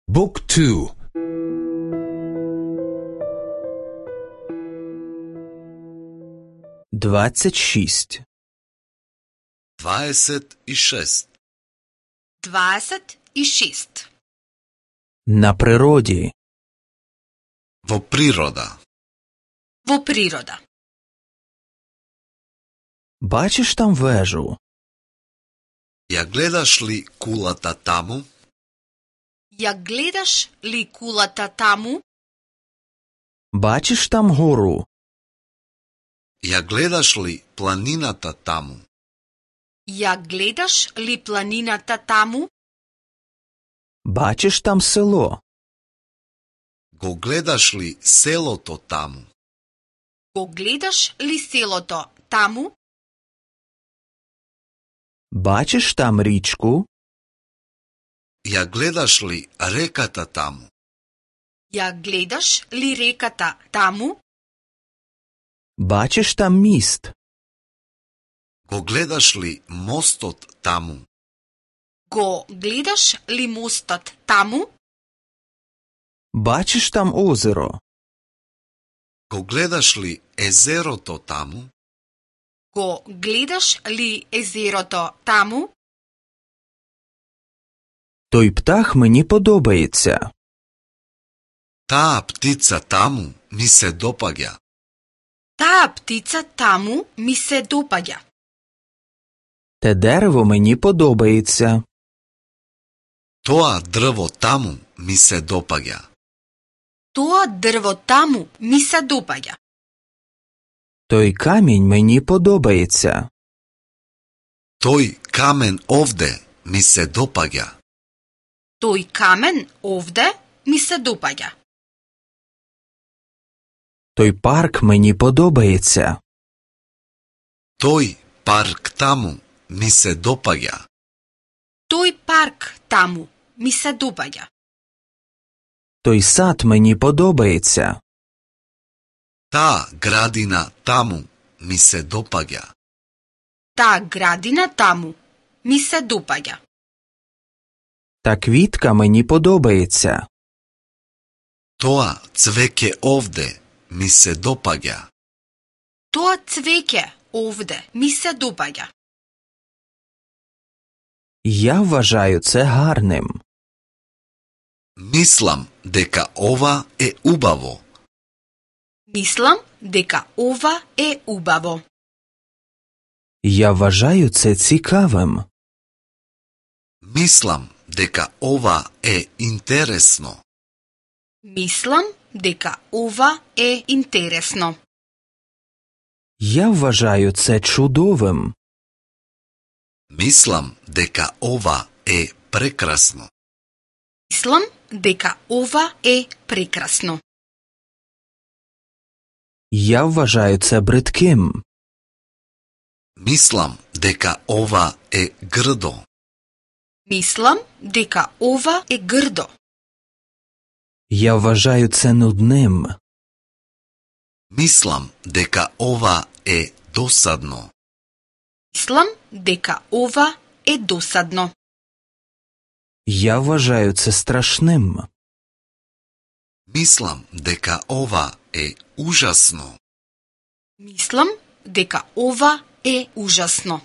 Book 2. Двадцять шесть. 26. 26. На природі. Во природа. Во природа. Бачиш там вежу? Ја гледаш ли кулата таму? Ја гледаш ли кулата таму? Бачиш там гору? Ја гледаш ли планината таму? Ја гледаш ли планината таму? Бачиш там село? Го гледаш ли селото таму? Го гледаш ли селото таму? Бачиш там річку? Ја гледаш ли реката таму? Ја гледаш ли реката таму? Бачиш там міст? Го гледаш ли мостот таму? Го гледаш ли мостот таму? Бачиш там озеро? Го гледаш ли езерото таму? Го гледаш ли езерото таму? Той птах мені подобається. Таа птица таму ми се допаѓа. Таа птица таму ми се допаѓа. Те дерево мені подобається. Тоа дрво таму ми се допаѓа. Тоа дрво таму ми се допаѓа. Той камінь мені подобається. Тој камен овде ми се допаѓа. Тој камен овде ми се допаѓа. Той парк мені подобається. Тој парк таму ми се допаѓа. Тој парк таму ми се допаѓа. Той сад мені подобається. Таа градина таму ми се допаѓа. Таа градина таму ми се допаѓа. Та квітка мені подобається. Тоа цвеќе овде ми се допаѓа. Тоа цвеќе овде ми се допаѓа. Я вважаю це гарним. Мислам дека ова е убаво. Мислам дека ова е убаво. Я вважаю це цікавим. Мислам дека ова е интересно. Мислам дека ова е интересно. Я вважаю це чудовим. Мислам дека ова е прекрасно. Мислам дека ова е прекрасно. Я вважаю це бридким. Мислам дека ова е грдо. Мислам дека ова е грдо. Я вважаю це нудним. Мислам дека ова е досадно. Мислам дека ова е досадно. Я вважаю це страшним. Мислам дека ова е ужасно. Мислам дека ова е ужасно.